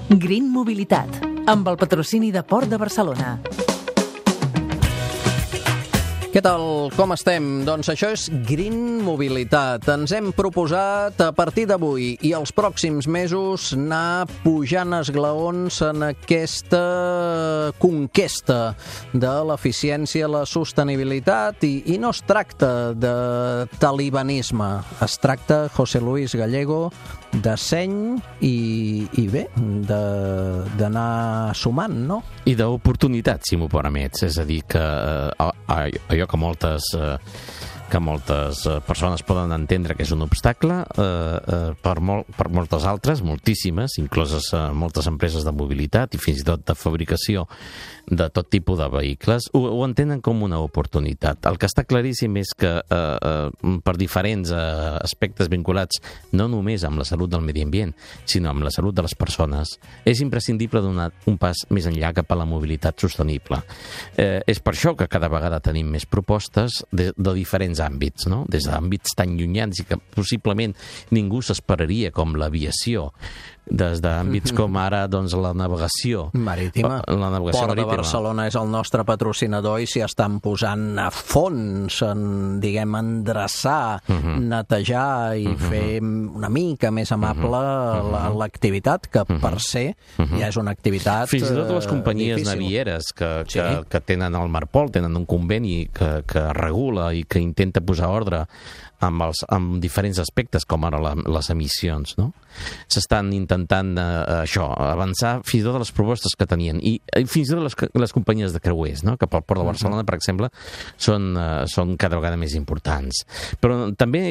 Green Mobilitat, amb el patrocini de Port de Barcelona. Què tal? Com estem? Doncs això és Green Mobilitat. Ens hem proposat a partir d'avui i els pròxims mesos anar pujant esglaons en aquesta conquesta de l'eficiència, la sostenibilitat i no es tracta de talibanisme. Es tracta, José Luis Gallego, de seny i bé, d'anar sumant, no? I d'oportunitat, si m'ho permets. És a dir, que allò que moltes persones poden entendre que és un obstacle, per moltes altres, moltíssimes, incloses moltes empreses de mobilitat i fins i tot de fabricació de tot tipus de vehicles, ho entenen com una oportunitat. El que està claríssim és que per diferents aspectes vinculats no només amb la salut del medi ambient, sinó amb la salut de les persones, és imprescindible donar un pas més enllà cap a la mobilitat sostenible. És per això que cada vegada tenim més propostes de diferents àmbits, no? Des d'àmbits tan llunyans i que possiblement ningú s'esperaria, com l'aviació, des d'àmbits com ara doncs, la navegació marítima. La navegació Port marítima. de Barcelona és el nostre patrocinador i s'hi estan posant a fons en, diguem, endreçar, netejar i fer una mica més amable l'activitat, que per ser ja és una activitat fins i tot les companyies difícil. Navieres que tenen el Marpol, tenen un conveni que regula i que intenta posar ordre amb diferents aspectes, com ara les emissions, no? S'estan intentant avançar fins i tot les propostes que tenien, i fins i tot les companyies de creuers, no? Que pel Port de Barcelona, per exemple, són cada vegada més importants. Però també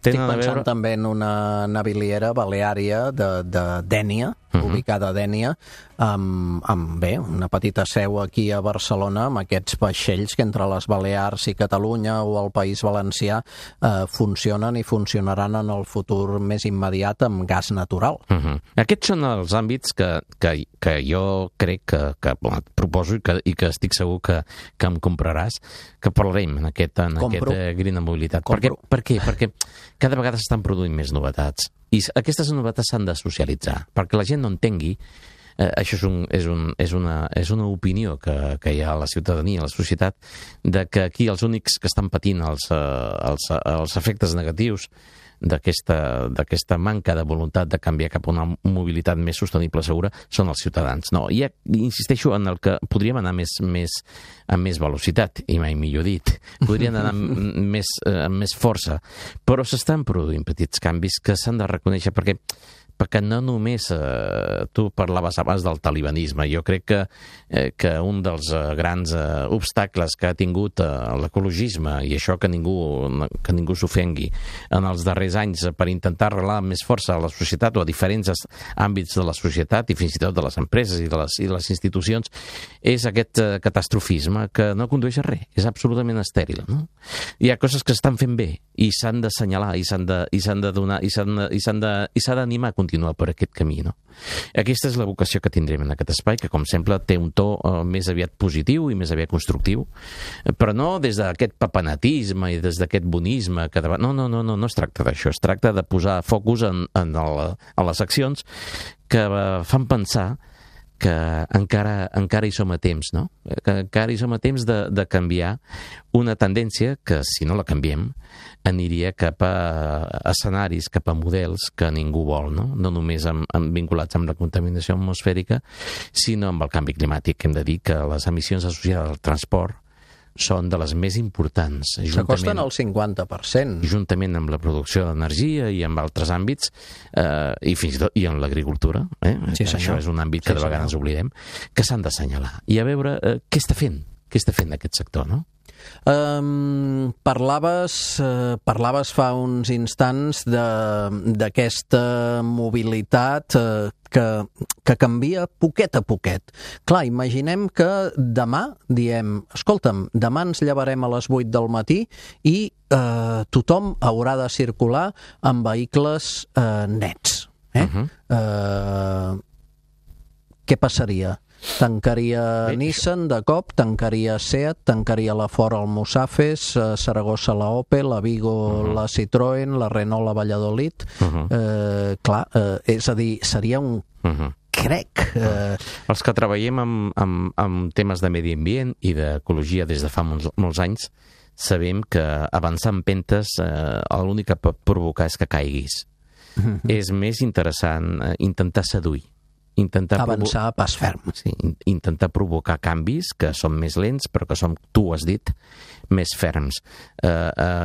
tenen a veure... Estic pensant també en una naviliera baleària de Dénia, ubicada a Dénia, amb bé, una petita seu aquí a Barcelona, amb aquests vaixells que entre les Balears i Catalunya o el País Valencià funcionen i funcionaran en el futur més immediat amb gas natural. Aquests són els àmbits que jo crec que proposo i que estic segur que em compraràs, que parlarem en aquest Green Mobilitat. Per què? Perquè cada vegada s'estan produint més novetats i aquestes novetats s'han de socialitzar, perquè la gent no entengui. Això és una opinió que hi ha a la ciutadania, a la societat, de que aquí els únics que estan patint els efectes negatius d'aquesta manca de voluntat de canviar cap a una mobilitat més sostenible, segura, són els ciutadans. No, i insisteixo en el que podríem anar amb més velocitat, i mai millor dit. Podrien anar amb més força, però s'estan produint petits canvis que s'han de reconèixer, perquè no només tu parlaves abans del talibanisme. Jo crec que un dels grans obstacles que ha tingut l'ecologisme, i això que ningú s'ofengui, en els darrers anys per intentar arrelar amb més força a la societat o a diferents àmbits de la societat i fins i tot de les empreses i de les institucions, és aquest catastrofisme que no condueix a res, és absolutament estèril, no? Hi ha coses que s'estan fent bé i s'han d'assenyalar i s'han de donar i s'ha d'animar a continuar per aquest camí, no? Aquesta és la vocació que tindrem en aquest espai, que com sempre té un to més aviat positiu i més aviat constructiu, però no des d'aquest papanatisme i des d'aquest bonisme que no es tracta d'això, es tracta de posar focus en les accions que fan pensar que encara hi som a temps, no? Que encara hi som a temps de canviar una tendència que, si no la canviem, aniria cap a escenaris, cap a models que ningú vol, no? No només vinculats amb la contaminació atmosfèrica, sinó amb el canvi climàtic. Hem de dir que les emissions associades al transport són de les més importants. S'acosten al 50%. Juntament amb la producció d'energia i amb altres àmbits, i fins i tot en l'agricultura, Sí, això és un àmbit que de vegades oblidem, que s'han d'assenyalar. I a veure què està fent aquest sector, no? Parlaves fa uns instants d'aquesta mobilitat que canvia poquet a poquet. Clar, imaginem que demà diem, escolta'm, demà ens llevarem a les 8 del matí i tothom haurà de circular amb vehicles nets. Què passaria? Tancaria Nissan de cop, tancaria Seat, tancaria la Ford Almussafes, Saragossa la Opel, la Vigo la Citroën, la Renault la Valladolid. Clar, és a dir, seria un crec. Els que treballem amb temes de medi ambient i d'ecologia des de fa molts anys, sabem que avançar en pentes l'únic que pot provocar és que caiguis. És més interessant intentar seduir, avançar a pas ferm. Sí, intentar provocar canvis que són més lents, però que són, tu ho has dit, més ferms.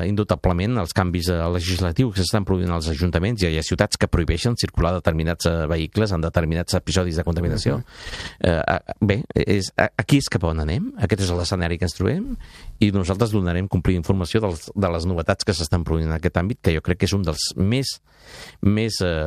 Indubtablement, els canvis legislatius que s'estan produint als ajuntaments, hi ha ciutats que prohibeixen circular determinats vehicles en determinats episodis de contaminació. Bé, aquí és cap on anem, aquest és l'escenari que ens trobem, i nosaltres donarem complir informació de les novetats que s'estan produint en aquest àmbit, que jo crec que és un dels més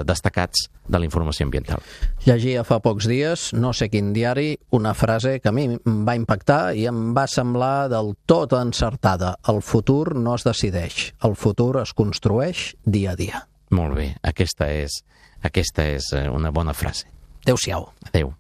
destacats de la informació ambiental. Llegia fa pocs dies, no sé quin diari, una frase que a mi em va impactar i em va semblar del tot encertada. El futur no es decideix, el futur es construeix dia a dia. Molt bé, aquesta és una bona frase. Adéu-siau. Adéu.